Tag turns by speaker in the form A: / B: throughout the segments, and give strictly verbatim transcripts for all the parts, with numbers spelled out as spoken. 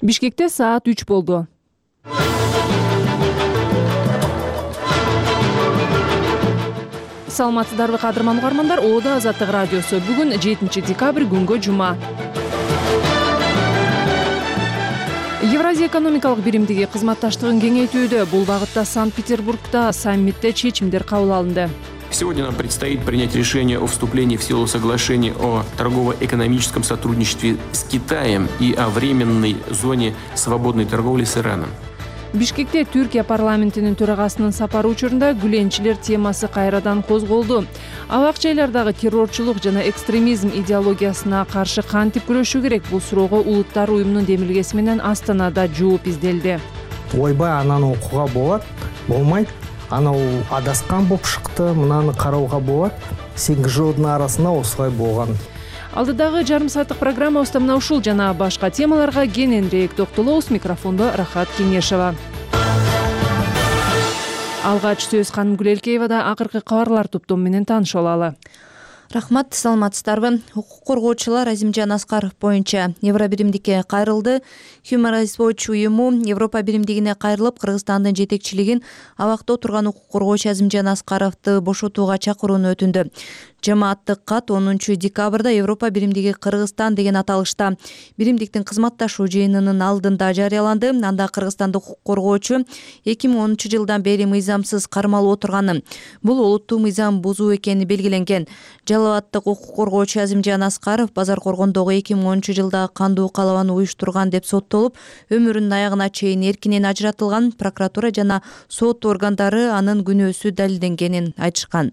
A: Бишкекте саат үч болду. Саламатсыздарбы кадырман угармандар, Оодо Азаттык радиосу. Бүгүн жетинчи декабрь, күнгө жума. Евразия экономикалык биримдиги кызматташтыгын кеңейтүүдө. Бул багытта Санкт-Петербургда саммитте чечимдер кабыл алынды.
B: Сегодня нам предстоит принять решение о вступлении в силу соглашений о торгово-экономическом сотрудничестве с Китаем и о временной зоне свободной торговли с Ираном.
A: Бишкекте Түркия парламентинин төрагасынын сапары учурунда гүленчилер темасы кайрадан козголду. Абакча айлардагы террорчулук жана экстремизм идеологиясына каршы кантип күрөшүү керек? Бул суроого Улуттар уюмунун демилгеси менен Астанада жооп изделди.
C: Ойбай ананы окууга болот, болмайт. Анау адаскан болуп шыкты, мынаны карауга болот. сегиз жылдын арасында осулай болгон.
A: Алдыдагы жарым сааттык программабызда мына ушул жана башка темаларга кененирээк токтолобуз. Микрофондо Рахат Кеңешова. Алгач сөз Ханым Гүлелкеевада. Акыркы кабарлар топтому менен таанышып алалы.
D: Рахмат, саламатсыздарбы? Укук коргоочулар Азимжан Аскаров боюнча Евро биримдикке кайрылды. Human Rights Watch уюму Европа биримдигине кайрылып, Кыргызстандын жетекчилигин абакта отурган укук коргоочу Азимжан Аскаровду бошотууга чакырууну өтүндү. Жамааттык кат онунчу декабрда Европа биримдиги Кыргызстан деген аталышта биримдиктин кызматташуу жыйынынын алдында жарыяланды. Анда Кыргызстандык укук коргоочу эки миң онунчу жылдан бери мыйзамсыз кармалып отурганын, бул олуттуу мыйзам бузуу экени белгиленген. Жалалаттык укук коргоочу Азимжан Аскаров Базар Коргондогу эки миң онунчу жылда кандуу калабаны уюштурган деп соттолуп, өмүрүнүн аягына чейин эркинен ажыратылган. Прокуратура жана сот органдары анын күнөөсү далилденгенин айтышкан.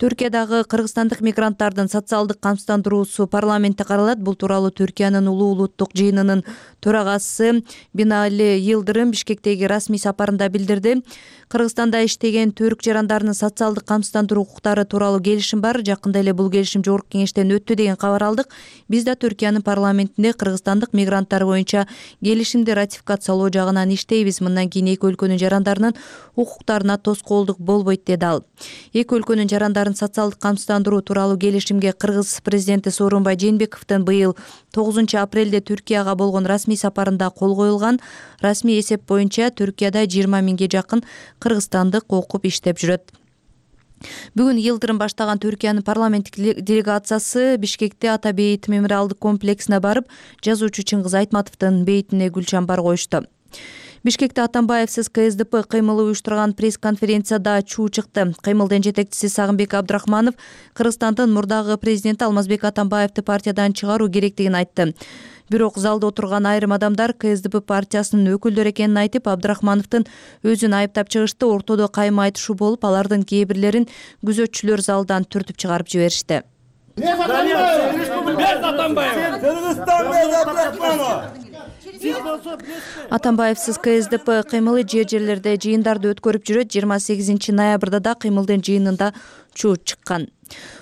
D: Түркиядагы кыргызстандык мигранттардын социалдык камсыздандыруусу парламентте каралат. Бул тууралуу Түркиянын улуу улуттук жыйынынын төрагасы Бинали Йылдырым Бишкектеги расмий сапарында билдирди. Кыргызстанда иштеген түрк жарандарынын социалдык камсыздандыруу укуктары тууралуу келишим бар. Жакында эле бул келишим жогорку кеңештен өттү деген кабар алдык. Биз да Түркиянын парламентинде кыргызстандык мигранттар боюнча келишимди ратификациялоо жагынан иштейбиз. Мындан кийин эки өлкөнүн жарандарынын укуктарына тоскоолдук болбойт деди ал. Эки өлкөнүн жарандарын социалдык камсыздандыруу тууралуу келишимге Кыргыз президенти Сооронбай Жээнбековдун быйыл тогузунчу апрелде Түркияга болгон расмий сапарында кол коюлган. Расмий эсеп боюнча Түркияда жыйырма миңге жакын кыргызстандык окуп иштеп жүрөт. Бүгүн Йылдырым баштаган Түркиянын парламенттик делегациясы Бишкекте Ата бейит мемориалдык комплексине барып, жазуучу Чыңгыз Айтматовдун бейитине гүл чамбар коюшту. Бишкекте Атамбаевсиз КСДП кыймылы уюштурган пресс-конференцияда чуу чыкты. Кыймылдын жетекчиси Сагынбек Абдрахманов Кыргызстандын мурдагы президенти Алмазбек Атамбаевди партиядан чыгаруу керектигин айтты. Бирок залда отурган айрым адамдар КСДП партиясынын өкүлдөрү экенин айтып, Абдрахмановдун өзүн айыптап чыгышты. Ортодо кайма айтышуу болуп, алардын кээ бирлерин күзөтчүлөр залдан түртүп чыгарып жиберишти. Атамбаевсиз КСДП кыймылы жер жерлерде жыйындарды өткөрүп жүрөт. жыйырма сегизинчи ноябрда да кыймылдын жыйынында чуу чыккан.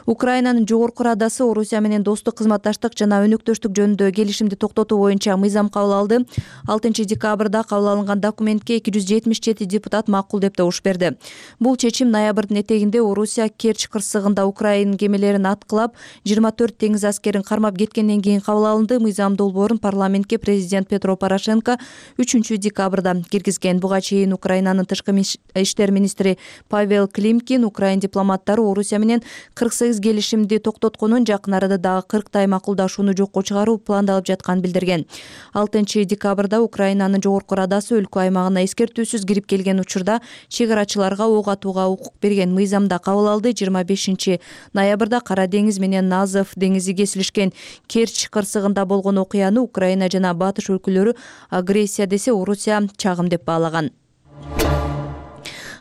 D: Украинанын жогорку радасы Орусия менен достук кызматташтык жана өнөктөштүк жөнүндө келишимди токтотуу боюнча мыйзам кабыл алды. алтынчы декабрда кабыл алынган документке эки жүз жетимиш жети депутат макул деп добуш берди. Бул чечим ноябрдын этегинде Орусия Керчь кырсыгында Украина кемелерин аткылап, жыйырма төрт теңиз аскерин кармап кеткенден кийин кабыл алынды. Мыйзам долбоорун парламентке президент Петро Порошенко үчүнчү декабрда киргизген. Буга чейин Украинанын тышкы иштер министри Павел Климкин Украин дипломаттары Орусия менен кырк сегиз келишимди токтотконун, жакын арада дагы кырктай макулдашууну жокко чыгаруу пландалып жатканын билдирген. алтынчы декабрда Украинанын жогорку радасы өлкө аймагына эскертүүсүз кирип келген учурда чек арачыларга ок атууга укук берген. Мыйзамда кабыл алды. жыйырма бешинчи ноябрда Кара деңиз менен Азов деңизи кесилишкен Керчь кырсыгында болгон окуяны Украина жана Батыш өлкөлөрү агрессия десе, Орусия чагым деп баалаган.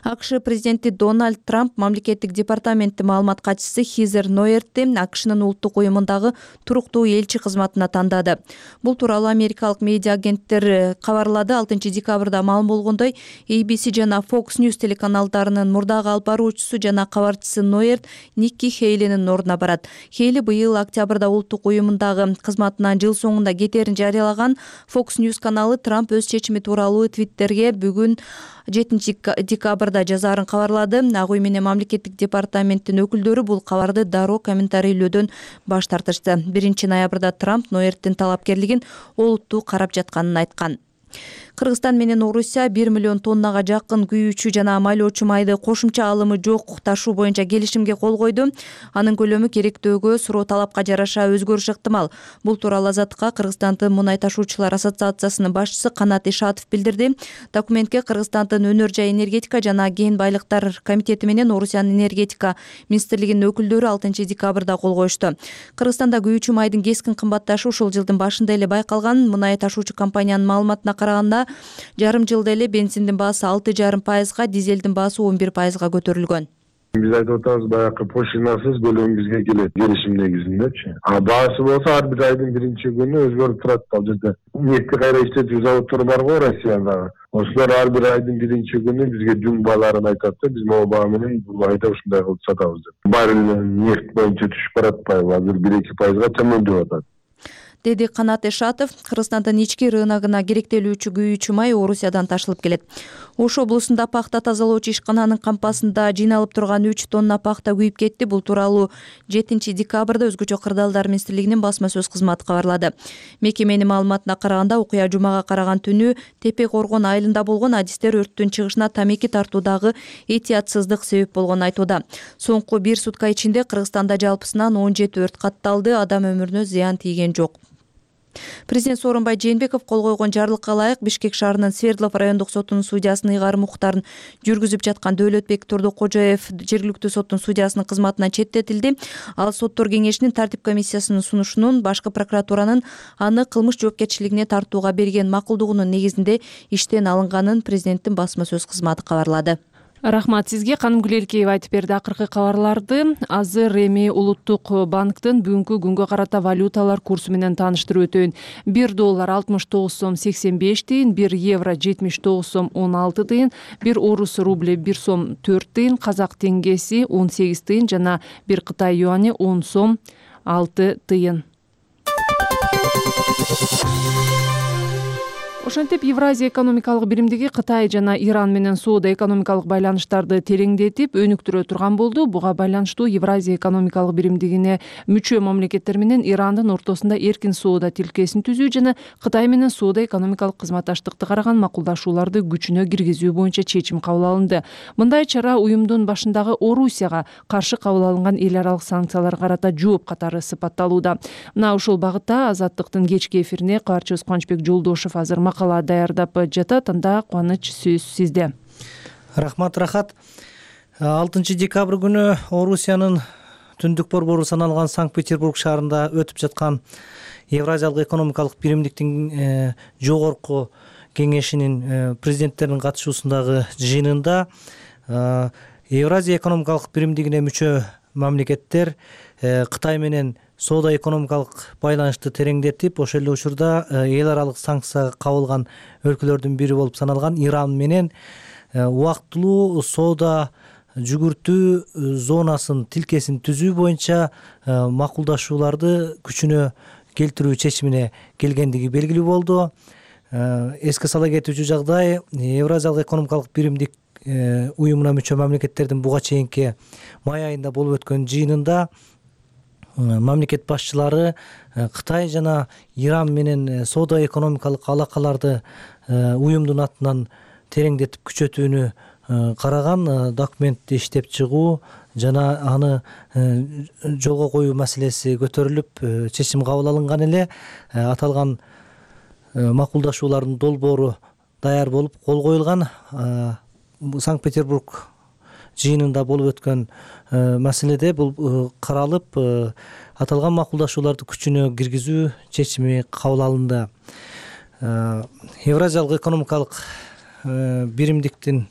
D: АКШ президенти Дональд Трамп мамлекеттик департаменттин маалымат катчысы Хизер Нойертти АКШнын улуттук уюмундагы туруктуу элчи кызматына тандады. Бул тууралуу америкалык медиа агенттер кабарлады. алтынчы декабрда маалым болгондой, A B C жана Fox News телеканалдарынын мурдагы алып баруучусу жана кабарчысы Нойерт Никки Хейлинин ордуна барат. Хейли быйыл октябрда улуттук уюмундагы кызматынан жыл соңунда кетерин жарыялаган. Fox News каналы Трамп өз чечими тууралуу Твиттерге бүгүн жетинчи декабрда декабрда жазаарын кабарлады. Ак үй менен мамлекеттик департаменттин өкүлдөрү бул кабарды дароо комментарийлөөдөн баш тартышты. биринчи ноябрда Трамп Ноерттин талапкерлигин олуттуу карап жатканын айткан. Кыргызстан менен Орусия бир миллион тоннага жакын күйүүчү жана майлоочу майды кошумча алымы жок ташуу боюнча келишимге кол койду. Анын көлөмү керектөөгө суроо талапка жараша өзгөрүшү ыктымал. Бул тууралуу Азаттыкка Кыргызстандын мунай ташуучулар ассоциациясынын башчысы Канат Ишатов билдирди. Документке Кыргызстандын өнөр жай энергетика жана кен байлыктар комитети менен Орусиянын энергетика министрлигинин өкүлдөрү алтынчы декабрда кол коюшту. Кыргызстанда күйүүчү майдын кескин кымбатташы ушул жылдын башында эле байкалган. Мунай ташуучу компаниянын маалыматына караганда жарым жылда эле бензиндин баасы алты жарым пайызга, дизелдин баасы он бир пайызга көтөрүлгөн.
E: Биз айтып атабыз, баягы пошлинасыз көлөм бизге келет келишим негизиндечи. А баасы болсо ар бир айдын биринчи күнү өзгөрүп турат. Ал жерде нефти кайра иштетүү заводдору бар го Россиядагы. Ошолор ар бир айдын биринчи күнү бизге жүң бааларын айтат да, биз могу баа менен бул айда ушундай кылып сатабыз деп. Баррель нефть боюнча түшүп баратпайбы? Азыр бир эки пайызга төмөндөп атат,
D: деди Канат Ишатов. Кыргызстандын ички рыногуна керектелүүчү күйүүчү май Орусиядан ташылып келет. Ош облусунда пахта тазалоочу ишкананын кампасында жыйналып турган үч тонна пахта күйүп кетти. Бул тууралуу жетинчи декабрда Өзгөчө кырдаалдар министрлигинин басма сөз кызматы кабарлады. Мекеменин маалыматына караганда, окуя жумага караган түнү Тепе Коргон айылында болгон. Адистер өрттүн чыгышына тамеки тартуудагы этиятсыздык себеп болгонун айтууда. Соңку бир сутка ичинде Кыргызстанда жалпысынан он жети өрт катталды. Адам өмүрүнө зыян тийген жок. Президент Сооронбай Жээнбеков кол койгон жарлыкка ылайык Бишкек шаарынын Свердлов райондук сотунун судьясынын ыйгарым укуктарын жүргүзүп жаткан Дөөлөтбек Турдукожоев жергиликтүү соттун судьясынын кызматынан четтетилди. Ал соттор кеңешинин тартип комиссиясынын сунушунун башкы прокуратуранын аны кылмыш жоопкерчилигине тартууга берген макулдугунун негизинде иштен алынганын президенттин басма сөз кызматы кабарлады.
A: Рахмат сизге. Канымгүл Элкеева айтып берди акыркы кабарларды. Азыр эми Улуттук банктын бүгүнкү күнгө карата валюталар курсу менен тааныштырып өтөйүн. бир доллар алтымыш тогуз сом сексен беш тыйын, бир евро жетимиш тогуз сом он алты тыйын, бир орус рубль бир сом төрт тыйын, казак теңгеси он сегиз тыйын жана бир Кытай юани он сом алты тыйын. Ошентип Евразия экономикалык биримдиги Кытай жана Иран менен соода экономикалык байланыштарды тереңдетип, өнүктүрө турган болду. Буга байланыштуу Евразия экономикалык биримдигине мүчө мамлекеттер менен Ирандын ортосунда эркин соода тилкесин түзүү жана Кытай менен соода экономикалык кызматташтыкты караган макулдашууларды күчүнө киргизүү боюнча чечим кабыл алынды. Мындай чара уюмдун башындагы Орусияга каршы кабыл алынган эл аралык санкцияларга карата жооп катары сыпатталууда. Мына ушул багытта Азаттыктын кечки эфирине кабарчыбыз Кубанычбек Жолдошев азыр макала даярдап жатат. Анда Кубаныч сөз сизде.
C: Рахмат, Рахат. алтынчы декабрь күнү Орусиянын түндүк борбору саналган Санкт-Петербург шаарында өтүп жаткан Евразиялык экономикалык биримдиктин жогорку кеңешинин президенттеринин катышуусундагы жыйынында Евразия экономикалык биримдигине мүчө мамлекеттер Кытай менен соода экономикалык байланышты тереңдетип, ошол эле учурда эл аралык санкцияга кабылган өлкөлөрдүн бири болуп саналган Иран менен убактылуу соода жүгүртүү зонасын тилкесин түзүү боюнча макулдашууларды күчүнө келтирүү чечимине келгендиги белгилүү болду. Эске сала кетүүчү жагдай, Евразиялык экономикалык биримдик уюмуна мүчө мамлекеттердин буга чейинки май айында болуп өткөн жыйынында мамлекет башчылары Кытай жана Иран менен соода экономикалык алакаларды уюмдун атынан тереңдетип күчөтүүнү караган документти иштеп чыгуу жана аны жолго коюу маселеси көтөрүлүп чечим кабыл алынган эле. Аталган макулдашуулардын долбоору даяр болуп кол коюлган. Санкт-Петербург жыйынында болуп өткөн маселеде бул каралып, аталган макулдашууларды күчүнө киргизүү чечими кабыл алынды. Евразиялык экономикалык биримдиктин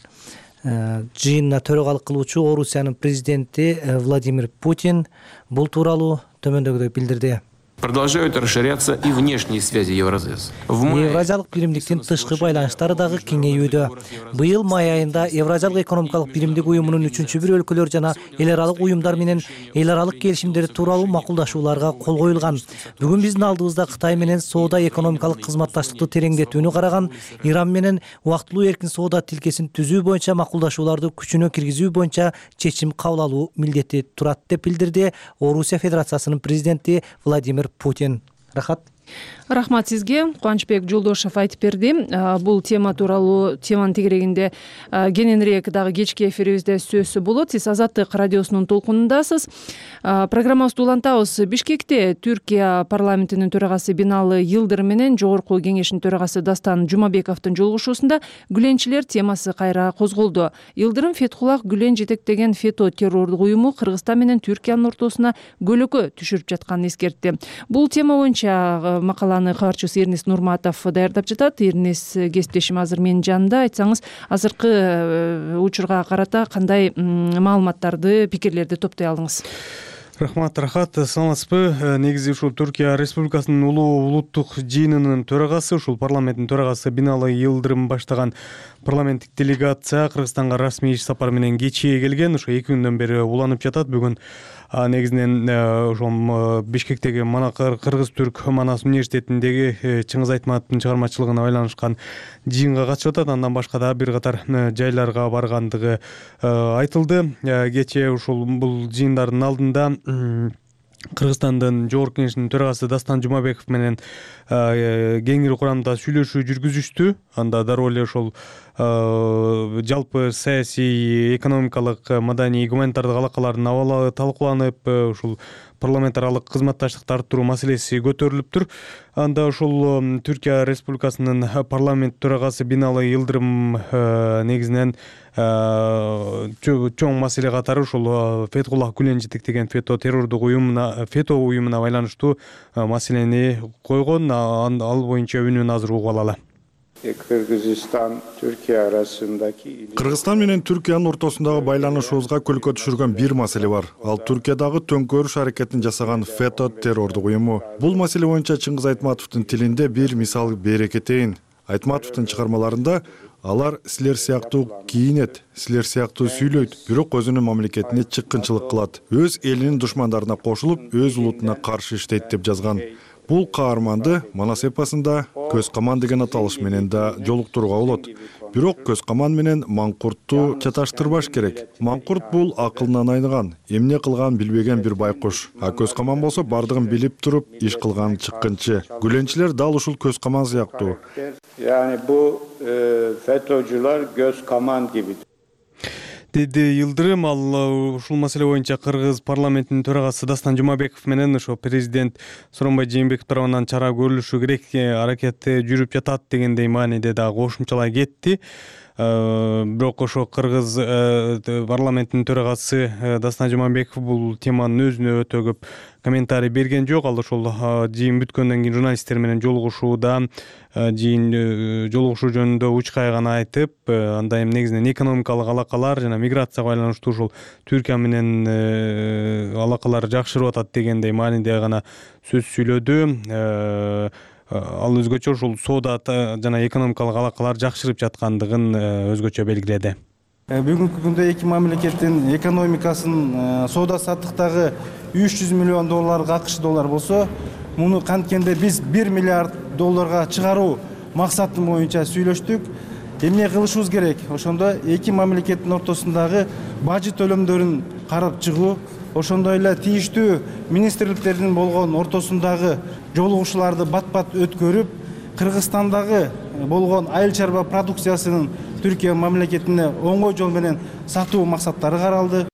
C: жыйынына төрагалык кылуучу Орусиянын президенти Владимир Путин бул тууралуу төмөндөгүдөй билдирди.
B: Продолжают расширяться и внешние связи Евразес.
C: Евразиялык биримдиктин тышкы байланыштары дагы кеңейүүдө. Быйыл май айында Евразиялык экономикалык биримдик уюмунун үчүнчү бир өлкөлөр жана эл аралык уюмдар менен эл аралык келишимдер тууралуу макулдашууларга кол коюлган. Бүгүн биздин алдыбызда Кытай менен соода экономикалык кызматташтыкты тереңдетүүнү караган, Иран менен убактылуу эркин соода тилкесин түзүү боюнча макулдашууларды күчүнө киргизүү боюнча чечим кабыл алуу милдети турат деп билдирди Орусия Федерациясынын президенти Владимир Путин. Рахат.
A: Рахмат сизге. Кубанычбек Жолдошев айтып берди. Бул тема тууралуу теманын тегерегинде кененирээк дагы кечки эфирибизде сөз болот. Сиз Азаттык радиосунун толкунундасыз. Программабызды улантабыз. Бишкекте Түркия парламентинин төрагасы Биналы Йылдырым менен Жогорку Кеңештин төрагасы Дастан Жумабековдун жолугушуусунда Гүленчилер темасы кайра козголду. Йылдырым Фетхуллах Гүлен жетектеген фето террордук уюму Кыргызстан менен Түркиянын ортосуна көлөкө түшүрүп жатканын эскертти. Бул тема боюнча макаланы кабарчысы Эрнис Нурматов даярдап жатат. Эрнис кесиптешим азыр менин жанымда. Айтсаңыз, азыркы учурга карата кандай маалыматтарды, пикирлерди топтой алдыңыз?
F: Рахмат, Рахат, саламатсызбы? Негизи ушул Түркия Республикасынын улуу улуттук жыйынынын төрагасы, ушул парламенттин төрагасы Биналы Йылдырым баштаган парламенттик делегация Кыргызстанга расмий иш сапар менен кечээ келген. Ошо эки күндөн бери уланып жатат. Бүгүн негизинен ошол Бишкектеги Кыргыз-Түрк Манас университетиндеги Чыңгыз Айтматовдун чыгармачылыгына байланышкан жыйынга катышып атат. Андан башка да бир катар жайларга баргандыгы айтылды. Кечээ ушул бул жыйындардын алдында Кыргызстандын Жогорку Кеңештин төрагасы Дастан Жумабеков менен кеңири курамда сүйлөшүү жүргүзүштү. Анда дароо эле ошол жалпы саясий, экономикалык, маданий, гуманитардык алакалардын абалы талкууланып, ушул парламент аралык кызматташтыкты арттыруу маселеси көтөрүлүптүр. Анда ушул Түркия Республикасынын парламент төрагасы Биналы Йылдырым негизинен чоң маселе катары ушул Фетхуллах Гүлен жетектеген фето террордук уюмуна, фето уюмуна байланыштуу маселени койгон. Ал боюнча үнүн азыр угуп алалы.
G: Кыргызстан Түркия арасындагы
H: Кыргызстан менен Түркиянын ортосундагы байланышыбызга көлкө түшүргөн бир маселе бар. Ал Түркиядагы төңкөрүш аракетин жасаган фето террордук уюму. Бул маселе боюнча Чыңгыз Айтматовдун тилинде бир мисал бере кетейин. Айтматовдун чыгармаларында алар силер сыяктуу кийинет, силер сыяктуу сүйлөйт, бирок өзүнүн мамлекетине чыккынчылык кылат, өз элинин душмандарына кошулуп, өз улутуна каршы иштейт деп жазган. Бул каарманды Манас эпосунда көз каман деген аталыш менен да жолуктурууга болот. Бирок көз каман менен маңкуртту чаташтырбаш керек. Маңкурт бул акылынан айныган, эмне кылганын билбеген бир байкуш. А көз каман болсо бардыгын билип туруп иш кылган чыккынчы. Гүленчилер дал ушул көз каман сыяктуу.
G: Yani bu e, FETÖ'cüler göz kaman gibi.
F: Деди Йылдырым. Ал ушул маселе боюнча Кыргыз парламентинин төрагасы Дастан Жумабеков менен ошо президент Сооронбай Жээнбеков тарабынан чара көрүлүшү керек, аракети жүрүп жатат дегендей мааниде да кошумчалай кетти. Бирок ошо Кыргыз парламентинин төрагасы Дастан Жумабеков бул теманын өзүнө өтө көп комментарий берген жок. Ал ошол жыйын бүткөндөн кийин журналисттер менен жолугушууда жыйын жолугушуу жөнүндө уч кайганы айтып, анда эми негизинен экономикалык алакалар жана миграцияга байланыштуу ушул Түркия менен алакалар жакшырып атат дегендей мааниде гана сөз сүйлөдү. Ал өзгөчө ушул соода жана экономикалык алакалар жакшырып жаткандыгын өзгөчө белгиледи.
I: Бүгүнкү күндө эки мамлекеттин экономикасынын соода саттыктагы үч жүз миллион долларга акш доллар болсо, муну канткенде биз бир миллиард долларга чыгаруу максаты боюнча сүйлөштүк. Эмне кылышыбыз керек? Ошондо эки мамлекеттин ортосундагы бажы төлөмдөрүн карап чыгуу, ошондой эле тийиштүү министрликтердин болгон ортосундагы жолугушууларды бат-бат өткөрүп, Кыргызстандагы болгон айыл чарба продукциясынын Түркия мамлекетине оңой жол менен сатуу максаттары каралды.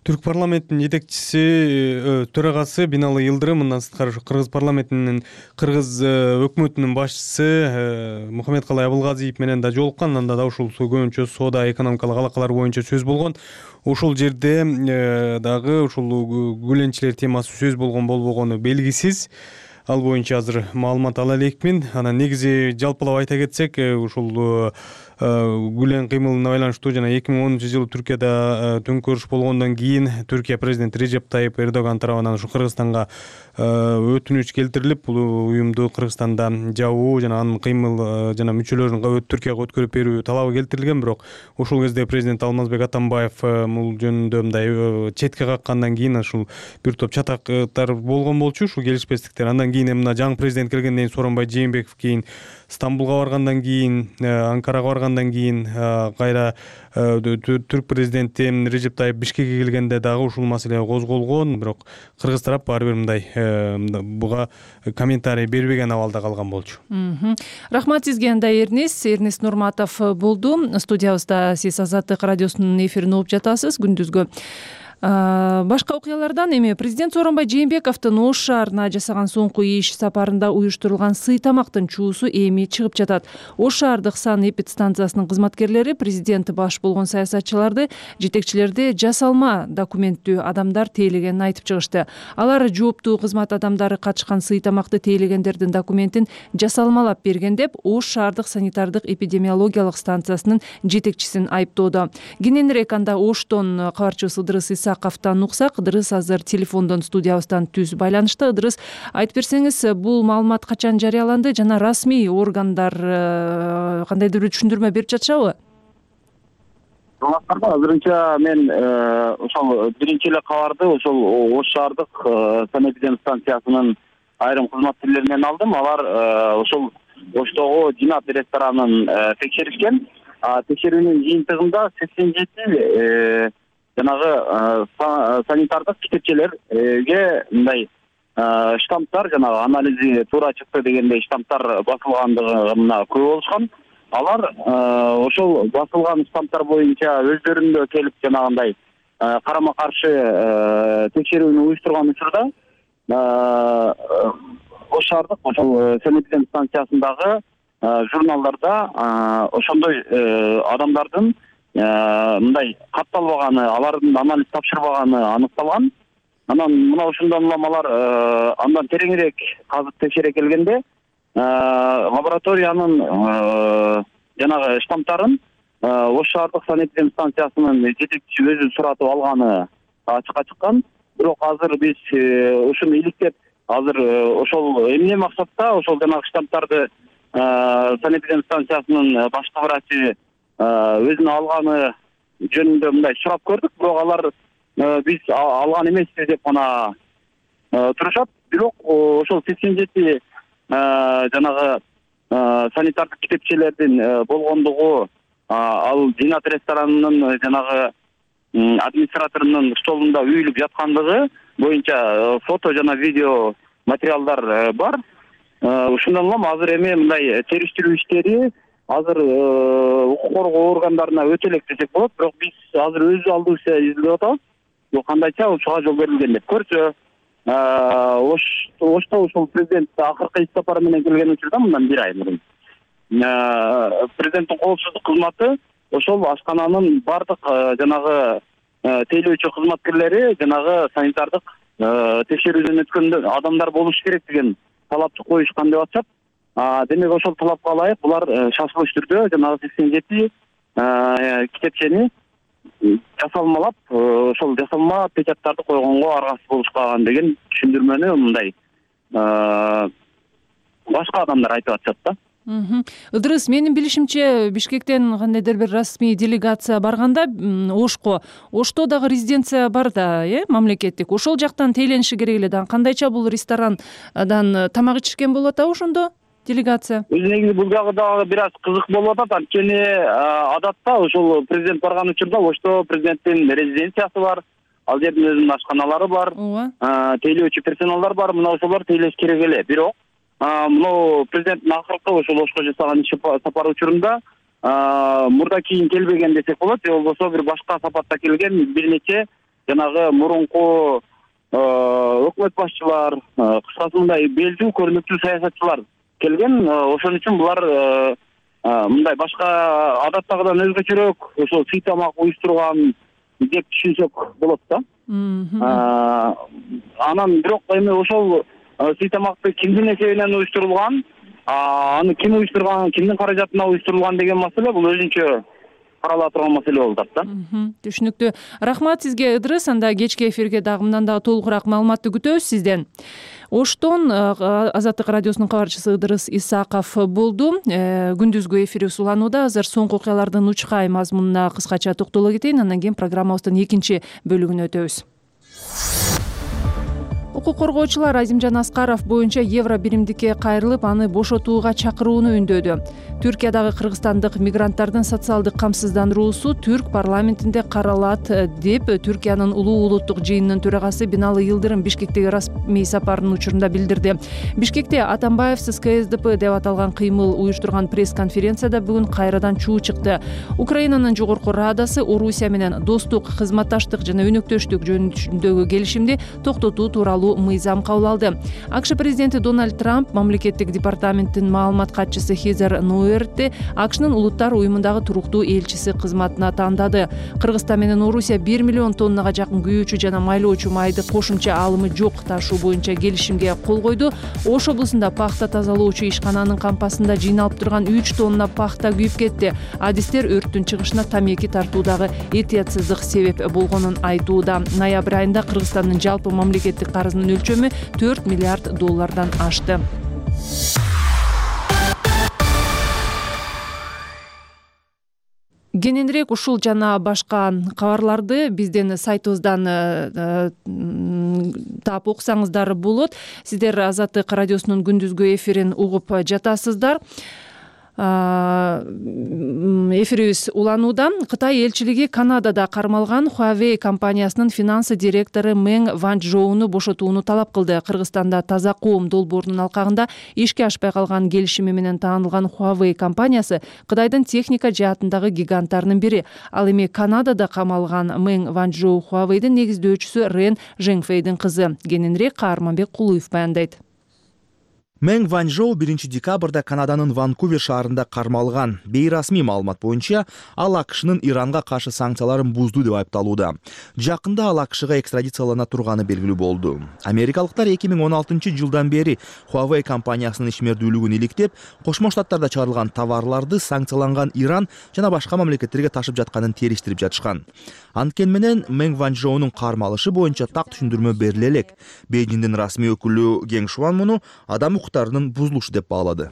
F: Түрк парламентинин жетекчиси, төрагасы Биналы Йылдырым, мындан сырткары Кыргыз парламентинин Кыргыз өкмөтүнүн башчысы Мухаммедкалай Абылгазиев менен да жолуккан. Анда да ушул көбүнчө соода экономикалык алакалар боюнча сөз болгон. Ушул жерде дагы ушул гүленчилер темасы сөз болгон болбогону белгисиз. Ал боюнча азыр маалымат ала элекмин. Анан негизи жалпылап айта кетсек, ушул гүлен кыймылына байланыштуу жана эки миң онунчу жылы Түркияда төңкөрүш болгондон кийин Түркия президенти Режеп Тайип Эрдоган тарабынан ушу Кыргызстанга өтүнүч келтирилип, бул уюмду Кыргызстанда жабуу жана анын кыймыл жана мүчөлөрүн Түркияга өткөрүп берүү талабы келтирилген. Бирок ошол кезде президент Алмазбек Атамбаев бул жөнүндө мындай четке каккандан кийин ушул бир топ чатактар болгон болчу, ушул келишпестиктер. Андан кийин мына жаңы президент келгенден кийин Сооронбай Жээнбеков кийин Стамбулга баргандан кийин, Анкарага баргандан кийин кайра түрк президенти Режеп Тайип Бишкекке келгенде дагы ушул маселе козголгон. Бирок кыргыз тарап баары бир мындай буга комментарий бербеген абалда калган болчу.
A: Рахмат сизге анда Эрнис Эрнис Нурматов болду. Студиябызда сиз Азаттык радиосунун эфирин угуп жатасыз күндүзгү. Башка окуялардан эми президент Сооронбай Жээнбековдун Ош шаарына жасаган соңку иш сапарында уюштурулган сый тамактын чуусу эми чыгып жатат. Ош шаардык сан эпидстанциясынын кызматкерлери президент баш болгон саясатчыларды, жетекчилерди жасалма документтүү адамдар тейлегенин айтып чыгышты. Алар жооптуу кызмат адамдары катышкан сый тамакты тейлегендердин документин жасалмалап берген деп Ош шаардык санитардык эпидемиологиялык станциясынын жетекчисин айыптоодо. Кененирээк анда Оштон кабарчыбыз Ыдырыс Исаковдон уксак. Ыдырыс азыр телефондон студиябыздан түз байланышта. Ыдырыс, айтып берсеңиз, бул маалымат качан жарыяланды жана расмий органдар кандайдыр бир түшүндүрмө берип жатышабы?
J: Азырынча мен ошол биринчи эле кабарды ошол Ош шаардык санэпидемстанциясынын айрым кызматкерлеринен алдым. Алар ошол Оштогу Динат ресторанын текшеришкен. Текшерүүнүн жыйынтыгында сексен жети жанагы санитардык китепчелерге мындай штамптар, жанагы анализи туура чыкты дегендей штамптар басылгандыгына күбө болушкан. Алар ошол басылган штамптар боюнча өздөрүндө келип жанагындай карама каршы текшерүүнү уюштурган учурда Ош шаардык ошол санэпидемстанциясындагы журналдарда ошондой адамдардын мындай катталбаганы, алардын анализ тапшырбаганы аныкталган. Анан мына ошондон улам алар андан тереңирээк казып текшере келгенде лабораториянын жанагы штамптарын Ош шаардык санэпидемстанциясынын жетекчиси өзү суратып алганы ачыкка чыккан. Бирок азыр биз ушуну иликтеп, азыр ошол эмне максатта ошол жанагы штамптарды санэпидемстанциясынын башкы врачы өзүнө алганы жөнүндө мындай сурап көрдүк. Бирок алар биз алган эмеспиз деп гана турушат. Бирок ошол сексен жети жанагы санитардык китепчелердин болгондугу, ал Динат ресторанынын жанагы администраторунун столунда үйүлүп жаткандыгы боюнча фото жана видео материалдар бар. Ушундан улам азыр эми мындай териштирүү иштери азыр укук коргоо органдарына өтө элек десек болот. Бирок биз азыр өз алдыбызча изилдеп атабыз. Бул кандайча ушуга жол берилген деп көрсө, Ошто ошол президент акыркы иш сапары менен келген учурда мындан бир ай мурун президенттин коопсуздук кызматы ошол ашкананын бардык жанагы тейлөөчү кызматкерлери жанагы санитардык текшерүүдөн өткөн адамдар болуш керек деген талапты коюшкан деп атышат. Демек ошол талапка ылайык булар шашылыш түрдө жанагы сексен жети китепчени жасалмалап, ошол жасалма печаттарды койгонго аргасыз болушкан деген түшүндүрмөнү мындай башка адамдар айтып атышат да.
A: Ыдырыс, менин билишимче Бишкектен кандайдыр бир расмий делегация барганда Ошко, Ошто дагы резиденция бар да, э, мамлекеттик. Ошол жактан тейлениши керек эле да. Кандайча бул ресторандан тамак ичишкен болуп атабы ошондо? Делегация.
J: Өз негизи бул жагы дагы бир аз кызык болуп атат. Анткени адатта ошол президент барган учурда Ошто президенттин резиденциясы бар, ал жердин өзүнүн ашканалары бар, тейлөөчү персоналдар бар. Мына ошолор тейлеш керек эле. Бирок мына президенттин акыркы ошол Ошко жасаган иш сапары учурунда мурда кийин келбеген десек болот, же болбосо бир башка сапатта келген бир нече жанагы мурунку өкмөт башчылар, кыскасы мындай белдүү көрүнүктүү саясатчылар келген. Ошон үчүн булар мындай башка адаттагыдан өзгөчөрөөк ошол сый тамак уюштурган деп түшүнсөк болот да. Анан бирок эми ошол сый тамакты кимдин эсебинен уюштурулган, аны ким уюштурган, кимдин каражатына уюштурулган деген маселе бул өзүнчө карала турган маселе болуп атат да.
A: Түшүнүктүү. Рахмат сизге, Ыдырыс. Анда кечки эфирге дагы мындан дагы толугураак маалыматты күтөбүз сизден. Оштон Азаттык радиосунун кабарчысы Ыдырыс Исаков болду. Күндүзгү эфирибиз уланууда. Азыр соңку окуялардын учкай мазмунуна кыскача токтоло кетейин, андан кийин программабыздын экинчи бөлүгүнө өтөбүз. Укук коргоочулар Азимжан Аскаров боюнча евро биримдикке кайрылып, аны бошотууга чакырууну үндөдү. Түркиядагы кыргызстандык мигранттардын социалдык камсыздандыруусу Түрк парламентинде каралат деп Түркиянын улуу улуттук жыйынынын төрагасы Биналы Йылдырым Бишкектеги расмий сапарынын учурунда билдирди. Бишкекте Атамбаевсиз ка эс дэ пэ деп аталган кыймыл уюштурган пресс-конференцияда бүгүн кайрадан чуу чыкты. Украинанын жогорку Радасы Орусия менен достук, кызматташтык жана өнөктөштүк жөнүндөгү келишимди токтотуу тууралуу мыйзам кабыл алды. АКШ президенти Дональд Трамп мамлекеттик департаменттин маалымат катчысы Хезер Нуэртти АКШнын улуттар уюмундагы туруктуу элчиси кызматына тандады. Кыргызстан менен Орусия бир миллион тоннага жакын күйүүчү жана майлоочу майды кошумча алымы жок ташуу боюнча келишимге кол койду. Ош облусунда пахта тазалоочу ишкананын кампасында жыйналып турган үч тонна пахта күйүп кетти. Адистер өрттүн чыгышына тамеки тартуудагы этиятсыздык себеп болгонун айтууда. Ноябрь айында Кыргызстандын жалпы мамлекеттик карызынын өлчөмү төрт миллиард доллардан ашты. Кененирээк ушул жана башка кабарларды биздин сайтыбыздан таап окусаңыздар болот. Сиздер Азаттык радиосунун күндүзгү эфирин угуп жатасыздар. Эфирибиз уланууда. Кытай элчилиги Канадада кармалган Huawei компаниясынын финансы директору Мэнг Ванчжоуну бошотууну талап кылды. Кыргызстанда таза коом долбоорунун алкагында ишке ашпай калган келишими менен таанылган Huawei компаниясы Кытайдын техника жаатындагы гиганттарынын бири. Ал эми Канадада камалган Мэнг Ванчжоу Huawei'дин негиздөөчүсү Рен Жеңфейдин кызы. Кененирээк Каарманбек Кулуев баяндайт.
K: Мэнг Ванчжоу биринчи декабрда Канаданын Ванкувер шаарында кармалган. Бейрасмий маалымат боюнча, ал АКШнын Иранга каршы санкцияларын бузду деп айыпталууда. Жакында ал АКШга экстрадициялана турганы белгилүү болду. Америкалыктар эки миң он алтынчы жылдан бери Huawei компаниясынын ишмердүүлүгүн иликтеп, Кошмо Штаттарда чыгарылган товарларды санкцияланган Иран жана башка мамлекеттерге ташып жатканын териштирип жатышкан. Анткени менен Мэнг Ванчжоунун кармалышы боюнча так түшүндүрмө бериле элек. Бейжиңдин расмий өкүлү Гең Шуан муну адам укуктарынын бузулушу деп баалады.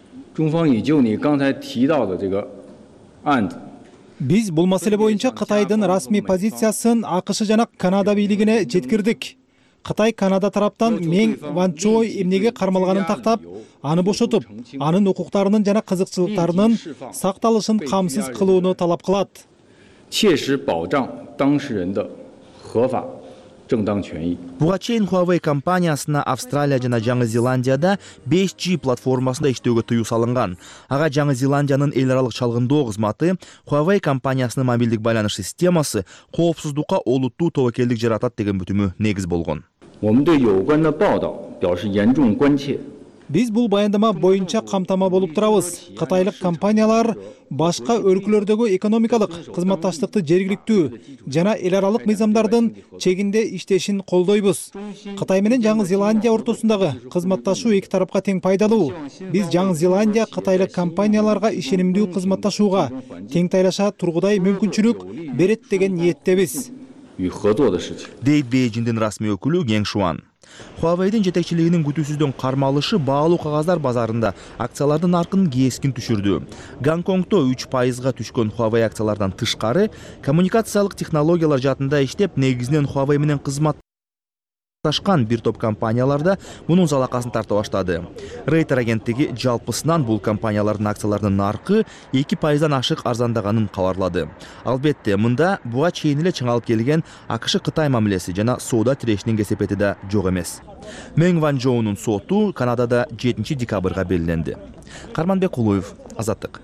L: Биз бул маселе боюнча Кытайдын расмий позициясын АКШ жана Канада бийлигине жеткирдик. Кытай Канада тараптан Мэнг Ванчжоу эмнеге кармалганын тактап, аны бошотуп, анын укуктарынын жана кызыкчылыктарынын сакталышын камсыз кылууну талап кылат.
K: Буга чейин Huawei компаниясына Австралия жана Жаңы Зеландияда беш джи платформасында иштөөгө тыюу салынган. Ага Жаңы Зеландиянын эл аралык чалгындоо кызматы Huawei компаниясынын мобилдик байланыш системасы коопсуздукка олуттуу тобокелдик жаратат деген бүтүмү негиз болгон.
L: Биз бул баяндама боюнча камтама болуп турабыз. Кытайлык компаниялар башка өлкөлөрдөгү экономикалык кызматташтыкты жергиликтүү жана эл аралык мыйзамдардын чегинде иштешин колдойбуз. Кытай менен Жаңы Зеландия ортосундагы кызматташуу эки тарапка тең пайдалуу. Биз Жаңы Зеландия кытайлык компанияларга ишенимдүү кызматташууга тең тайлаша тургудай мүмкүнчүлүк берет деген ниеттебиз.
K: Дейт Бейжиңдин расмий өкүлү Гең Шуан. Huawei'дин жетекчилигинин күтүүсүздөн кармалышы баалуу кагаздар базарында акциялардын наркын кескин түшүрдү. Гонконгдо үч пайызга түшкөн Huawei акциялардан тышкары, коммуникациялык технологиялар жаатында иштеп, негизинен Huawei менен кызмат бир топ компанияларда мунун залакасын тарта баштады. Рейтер агенттиги жалпысынан бул компаниялардын акцияларынын наркы эки пайыздан ашык арзандаганын кабарлады. Албетте, мында буга чейин эле чыңалып келген АКШ Кытай мамилеси жана соода тирешинин кесепети да жок эмес. Мэнг Ванчжоунун соту Канадада жетинчи декабрга белгиленди. Карманбек Кулуев, Азаттык.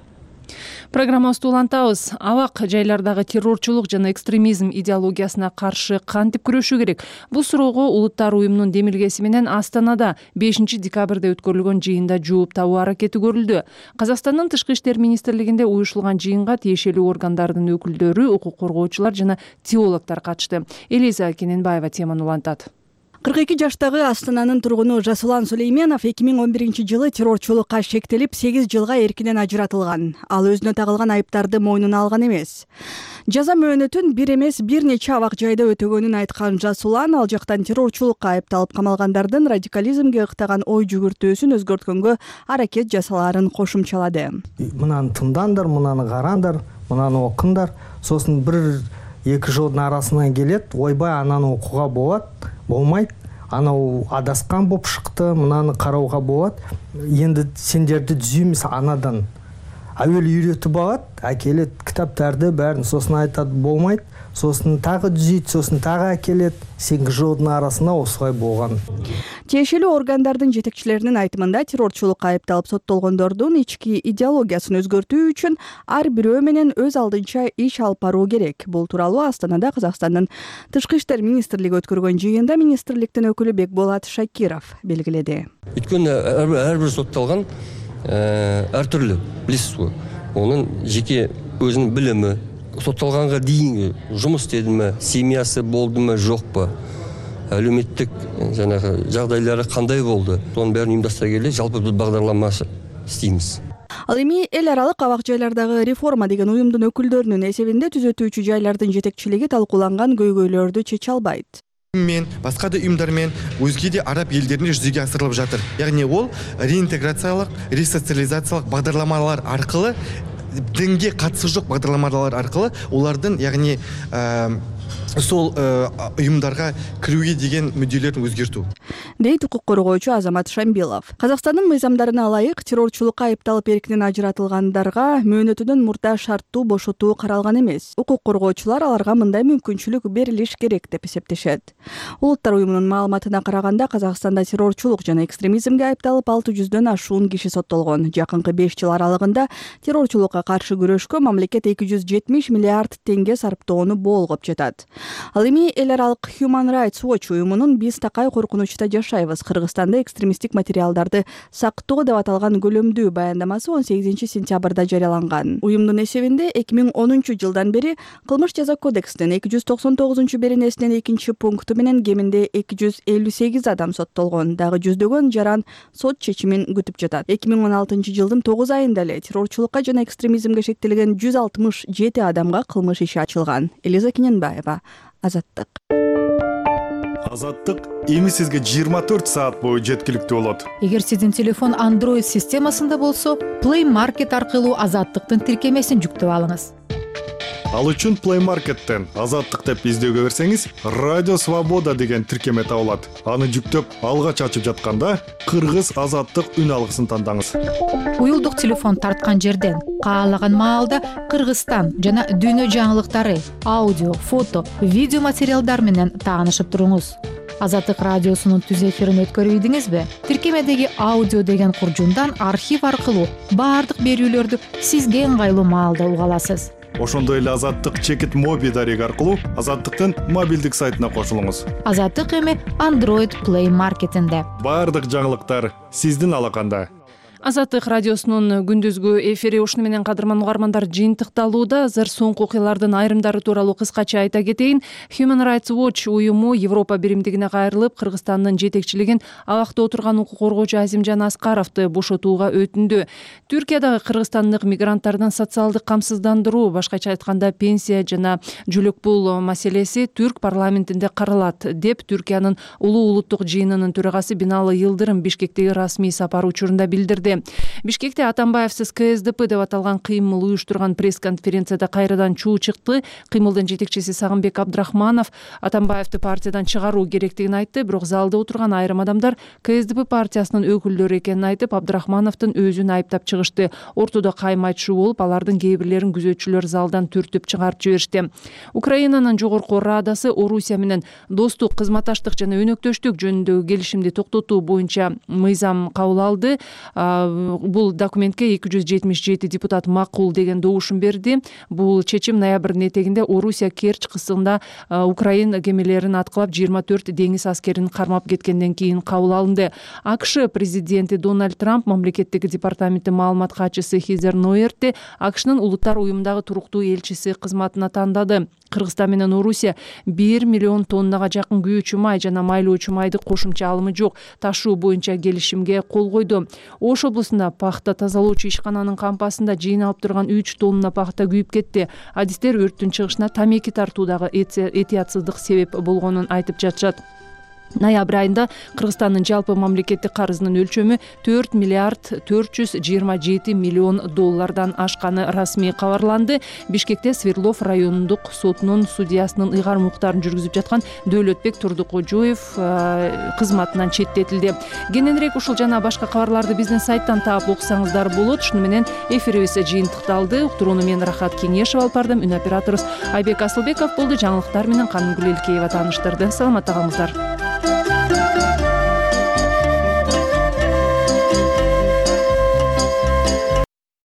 A: Программабызды улантабыз. Абак жайлардагы террорчулук жана экстремизм идеологиясына каршы кантип күрөшүү керек? Бул суроого Улуттар уюмунун демилгеси менен Астанада бешинчи декабрда өткөрүлгөн жыйында жооп табуу аракети көрүлдү. Казакстандын Тышкы иштер министрлигинде уюшулган жыйынга тиешелүү органдардын өкүлдөрү, укук коргоочулар жана теологдор катышты. Элиза Кененбаева теманы улантат.
M: кырк эки жаштагы Астананын тургуну Жасулан Сулейменов эки миң он биринчи жылы террорчулукка шектелип сегиз жылга эркинен ажыратылган. Ал өзүнө тагылган айыптарды мойнуна алган эмес. Жаза мөөнөтүн бир эмес бир нече абак жайда өтөгөнүн айткан Жасулан ал жактан террорчулукка айыпталып камалгандардын радикализмге ыктаган ой жүгүртүүсүн өзгөрткөнгө аракет жасалаарын кошумчалады.
N: Мынаны тыңдаңдар, мынаны караңдар, мынаны окуңдар, сосын бир эки жылдын арасынан келет, ойбай ананы окууга болот, болмайт. Анау адаскан болуп шыкты, мынаны карауга болот. Енді сендерди түзүймүз анадан. Әуелі үйретіп алат, әкелет кітаптарды бәрін, сосын айтат болмайт, сосын тағы түзейт, сосын тағы әкелет. сегиз жылдын арасында осылай болған.
M: Тиешелүү органдардын жетекчилеринин айтымында террорчулукка айыпталып соттолгондордун ички идеологиясын өзгөртүү үчүн ар бирөө менен өз алдынча иш алып баруу керек. Бул тууралуу Астанада Казакстандын Тышкы иштер министрлиги өткөргөн жыйында министрликтин өкүлү Бекболот Шакиров белгиледи.
O: Өткөн ар бир соттолгон ар түрлүү, билесиз го. Онун жеке өзүнүн билими, соттолганга дейинги жумуш истедиме, семьясы болдуме, жокпу, әлеуметтик жанагы жагдайлары кандай болду, сонун баарын уюмдаштыра келе жалпы бул багдарлама истейбиз.
M: Ал эми эл аралык абак жайлардагы реформа деген уюмдун өкүлдөрүнүн эсебинде түзөтүүчү жайлардын жетекчилиги талкууланган көйгөйлөрдү чече албайт.
P: Мен басқа да ұйымдармен өзге де араб елдерінде жүзеге асырылып жатыр. Яғни ол реинтеграциялық, ресоциализациялық бағдарламалар арқылы, дінге қатысы жоқ бағдарламалар арқылы олардың, яғни сол ұйымдарға кіруге деген мүдделерін өзгерту.
M: Дейт укук коргоочу Азамат Шамбилов. Казакстандын мыйзамдарына ылайык террорчулукка айыпталып эркинен ажыратылгандарга мөөнөтүнөн мурда шарттуу бошотуу каралган эмес. Укук коргоочулар аларга мындай мүмкүнчүлүк берилиш керек деп эсептешет. Улуттар уюмунун маалыматына караганда Казакстанда террорчулук жана экстремизмге айыпталып алты жүздөн ашуун киши соттолгон. Жакынкы беш жыл аралыгында террорчулукка каршы күрөшкө мамлекет эки жүз жетимиш миллиард теңге сарптоону болгоп жатат. Ал эми эл аралык Human Rights Watch уюмунун биз такай коркунучта жашайбыз, Кыргызстанда экстремисттик материалдарды сактоо деп аталган көлөмдүү баяндамасы он сегизинчи сентябрда жарыяланган. Уюмдун эсебинде эки миң онунчу жылдан бери Кылмыш жаза кодексинин эки жүз токсон тогузунчу беренесинин экинчи пункту менен кеминде эки жүз элүү сегиз адам соттолгон, дагы жүздөгөн жаран сот чечимин күтүп жатат. эки миң он алтынчы жылдын тогуз айында эле террорчулукка жана экстремизмге шектелген жүз алтымыш жети адамга кылмыш иши ачылган. Элиза Кененбаева, Азаттык.
H: Азаттык эми сизге жыйырма төрт саат бою жеткиликтүү болот.
Q: Эгер сиздин телефон Android системасында болсо, Play Market аркылуу Азаттыктын тиркемесин жүктөп алыңыз.
H: Ал үчүн Play Market'тен Азаттык деп издөөгө берсеңиз, Радио Свобода деген тиркеме табылат. Аны жүктөп алгач ачып жатканда Кыргыз Азаттык үн алгысын тандаңыз.
Q: Уюлдук телефон тарткан жерден каалаган маалда Кыргызстан жана дүйнө жаңылыктары, аудио, фото, видео материалдар менен таанышып туруңуз. Азаттык радиосунун түз эфирин өткөрүп ийдиңизби? Тиркемедеги аудио деген куржундан архив аркылуу баардык берүүлөрдү сизге ыңгайлуу маалда уга аласыз.
H: Ошондой эле Азаттык чекит моби дареги аркылуу Азаттыктын мобилдик сайтына кошулуңуз.
Q: Азаттык эми Android Play Market'инде.
H: Баардык жаңылыктар сиздин алаканда.
A: Азаттык радиосунун күндүзгү эфири ушуну менен кадырман угармандар жыйынтыкталууда. Азыр соңку окуялардын айрымдары тууралуу кыскача айта кетейин. Human Rights Watch уюму Европа биримдигине кайрылып, Кыргызстандын жетекчилигин абакта отурган укук коргоочу Азимжан Аскаровду бошотууга өтүндү. Түркиядагы кыргызстандык мигранттардын социалдык камсыздандыруу, башкача айтканда пенсия жана жүлөк пул маселеси түрк парламентинде каралат деп Түркиянын улуу улуттук жыйынынын төрагасы Биналы Йылдырым Бишкектеги расмий сапары учурунда билдирди. Бишкекте Атамбаевсиз ка эс дэ пэ деп аталган кыймыл уюштурган пресс-конференцияда кайрадан чуу чыкты. Кыймылдын жетекчиси Сагынбек Абдрахманов Атамбаевди партиядан чыгаруу керектигин айтты, бирок залда отурган айрым адамдар ка эс дэ пэ партиясынын өкүлдөрү экенин айтып, Абдрахмановдун өзүн айыптап чыгышты. Ортодо кайым айтышуу болуп, алардын кээ бирлерин күзөтчүлөр залдан түртүп чыгарып жиберишти. Украинанын жогорку Радасы Орусия менен достук, кызматташтык жана өнөктөштүк жөнүндөгү келишимди токтотуу боюнча мыйзам кабыл алды. бул документке эки жүз жетимиш жети депутат макул деген добушун берди. Бул чечим ноябрдын этегинде Орусия Керчь кысымында Украина кемелерин аткылап жыйырма төрт деңиз аскерин кармап кеткенден кийин кабыл алынды. АКШ президенти Дональд Трамп мамлекеттик департаменти маалымат катчысы Хизер Нойертти АКШнын улуттар уюмундагы туруктуу элчиси кызматына тандады. Кыргызстан менен Орусия бир миллион тоннага жакын күйүүчү май жана майлоочу майды кошумча алымы жок ташуу боюнча келишимге кол койду. Ош облусунда пахта тазалоочу ишкананын кампасында жыйналып турган үч тонна пахта күйүп кетти. Адистер өрттүн чыгышына тамеки тартуудагы этиятсыздык себеп болгонун айтып жатышат. Ноябрь айында Кыргызстандын жалпы мамлекеттик карызынын өлчөмү төрт миллиард төрт жүз жыйырма жети миллион доллардан ашканы расмий кабарланды. Бишкекте Свердлов райондук сотунун судьясынын ыйгарым укуктарын жүргүзүп жаткан Дөөлөтбек Турдукожоев кызматынан четтетилди. Кененирээк ушул жана башка кабарларды биздин сайттан таап окусаңыздар болот. Ушуну менен эфирибиз жыйынтыкталды. Уктурууну мен Рахат Кеңешева алып бардым. Үн операторубуз Айбек Асылбеков болду. Жаңылыктар менен Канымгүл Элкеева тааныштырды. Саламатта калыңыздар.